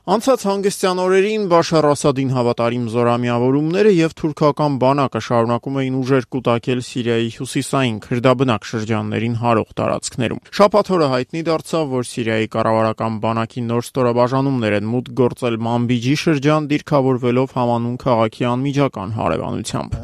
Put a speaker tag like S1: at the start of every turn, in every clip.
S1: Անցած հանգստյան օրերին Բաշար Ասադին հավատարիմ զորամիավորումները եւ թուրքական բանակը շարունակում էին ուժեր կուտակել Սիրիայի հյուսիսային քրդաբնակ շրջաններին հարող տարածքներում։ Շաբաթ օրը հայտնի դարձավ, որ Սիրիայի կառավարական բանակի նոր ստորաբաժանումներ են մուտք գործել Մանբիջի շրջան, դիրքավորվելով Համանուն քաղաքի անմիջական հարևանությամբ։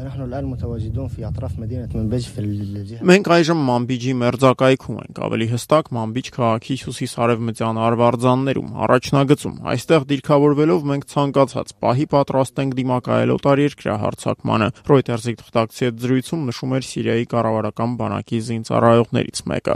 S1: Մենք այժմ Մանբիջի մերձակայքում ենք, ավելի հստակ Մանբիջ քաղաքի հյուսիս-արևմտյան արվարձաններում, առաջնագծում։ Այստեղ դիրքավորվելով մենք ցանկացած պահի պատրաստ ենք դիմակայել օտարերկրյա հարձակմանը, Reuters-ի թղթակցի հետ զրույցում նշում էր Սիրիայի կառավարական բանակի զինծառայողներից մեկը։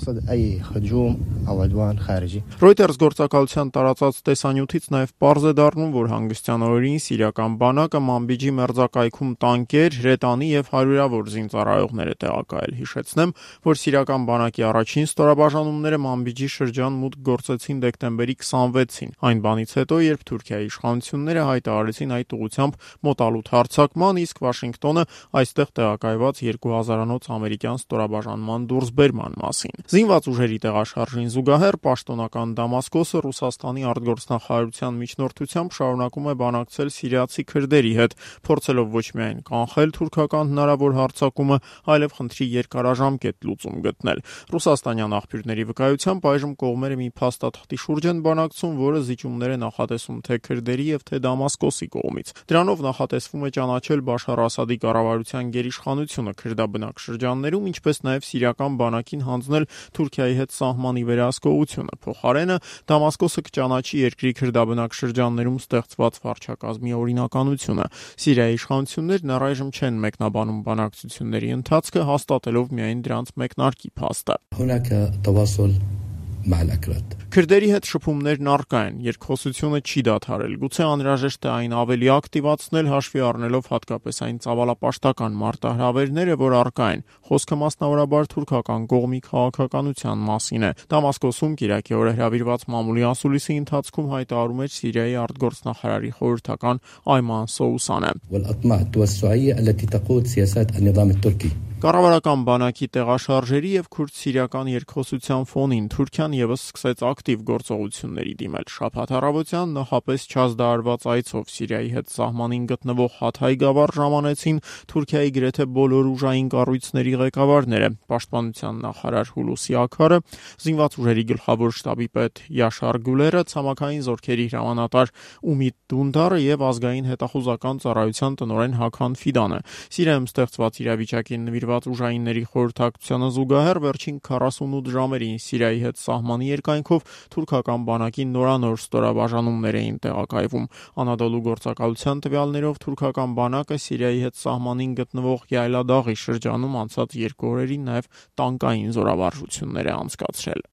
S1: Reuters գործակալության տարածած տեսանյութից նաև պարզ է դառնում, որ հանգստյան օրերին սիրիական բանակը Մանբիջի մերձակայքում տանկեր, հրետանի եւ հարյուրավոր զինծառայողներ է տեղակայել։ Հիշեցնեմ, որ սիրիական բանակի առաջին ստորաբաժանումները Մանբիջի շրջան մուտք գործեցին դեկտեմբերի 26-ին, այն բանից հետո, երբ Թուրքիայի իշխանությունները հայտարարեցին այդ ուղղությամբ մոտալուտ հարձակման, իսկ Վաշինգտոնը այստեղ տեղակայված 2000-անոց ամերիկյան ստորաբաժանման դուրսբերման մասին։ Զինված ուժերի տեղաշարժին զուգահեռ պաշտոնական Դամասկոսը Ռուսաստանի արտգործնախարարության միջնորդությամբ շարունակում է բանակցել սիրիացի քրդերի հետ, փորձելով ոչ միայն կանխել թուրքական հնարավոր հարձակումը, այլև խնդրի երկարաժամկետ լուծում գտնել։ Ռուսաստանյան աղբյուրների վկայությամբ այժմ կողմերը մի փաստաթղթի շուրջ են բանակցում, որը զիջումներ է նախատեսում թե քրդերի եւ թե Դամասկոսի կողմից։ Դրանով նախատեսվում է ճանաչել Բաշար Ասադի կառավարության գերիշխանությունը քրդաբնակ շրջաններում, ինչպես նաև սիրիական բանակին հանձնել Թուրքիայի հետ սահմանի վերահսկողությունը։ Փոխարենը Դամասկոսը կճանաչի երկրի քրդաբնակ շրջաններում ստեղծված վարչակազմի օրինականությունը։ Սիրիայի իշխանություններն առայժմ չեն մեկնաբանում բանակցությունների ընթացքը, հաստատելով միայն դրանց մեկնարկի փաստը։ Քրդերի հետ շփումներն առկա են, երկխոսությունը չի դադարել, գուցե անհրաժեշտ է այն ավելի ակտիվացնել, հաշվի առնելով հատկապես այն ծավալապաշտական մարտահրավերները, որ առկա են։ Խոսքը մասնավորաբար թուրքական կողմի քաղաքականության մասին է։ Դամասկոսում Կիրակի օրը հրավիրված մամուլի ասուլիսի ընթացքում հայտարարում էր Սիրիայի արտգործնախարարի խորհրդական Այման Սոուսանը։ Կառավարական բանակի տեղաշարժերի եւ քուրդ-սիրիական երկխոսության ֆոնին Թուրքիան եւս սկսեց ակտիվ գործողությունների դիմել։ Շաբաթ առավոտյան նախապես չազդարարված այցով Սիրիայի հետ սահմանին գտնվող Հաթայ գավառ ժամանեցին Թուրքիայի գրեթե բոլոր ուժային կառույցների ղեկավարները՝ պաշտպանության նախարար Հուլուսի Աքարը, զինված ուժերի գլխավոր շտաբի պետ Յաշար Գուլերը, ցամաքային զորքերի հրամանատար Ումիդ Դունդարը եւ ազգային հետախուզական ծառայության տնօրեն Հաքան Ֆիդանը։ Սիրիայում ստեղծված իրավիճակին նվիրված ուժայինների խորհրդակցությանը զուգահեռ վերջին 48 ժամերին Սիրիայի հետ սահմանի երկայնքով թուրքական բանակի նորանոր ստորաբաժանումներ էին տեղակայվում։ Անադոլու գործակալության տվյալներով թուրքական բանակը Սիրիայի հետ սահմանին գտնվող Յայլադաղի շրջանում անցած 2 օրերին նաև տանկային զորավարժություններ է անցկացրել։